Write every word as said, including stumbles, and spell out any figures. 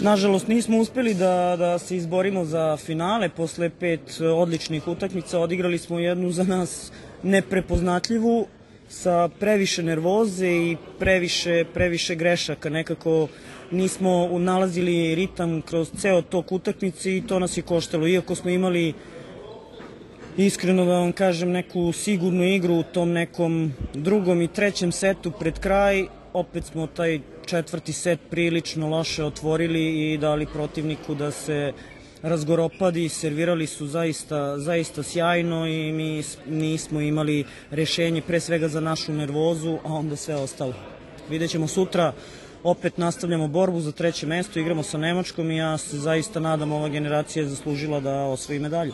Nažalost, nismo uspeli da, da se izborimo za finale. Posle pet odličnih utakmica odigrali smo jednu za nas neprepoznatljivu, sa previše nervoze i previše, previše grešaka. Nekako nismo nalazili ritam kroz ceo tok utakmice i to nas je koštalo. Iako smo imali, iskreno da vam kažem, neku sigurnu igru u tom nekom drugom i trećem setu pred kraj, opet smo taj četvrti set prilično loše otvorili i dali protivniku da se razgoropadi. Servirali su zaista, zaista sjajno i mi nismo imali rešenje pre svega za našu nervozu, a onda sve ostalo. Vidjet ćemo sutra, opet nastavljamo borbu za treće mesto, igramo sa Nemačkom i ja se zaista nadam ova generacija je zaslužila da osvoji medalju.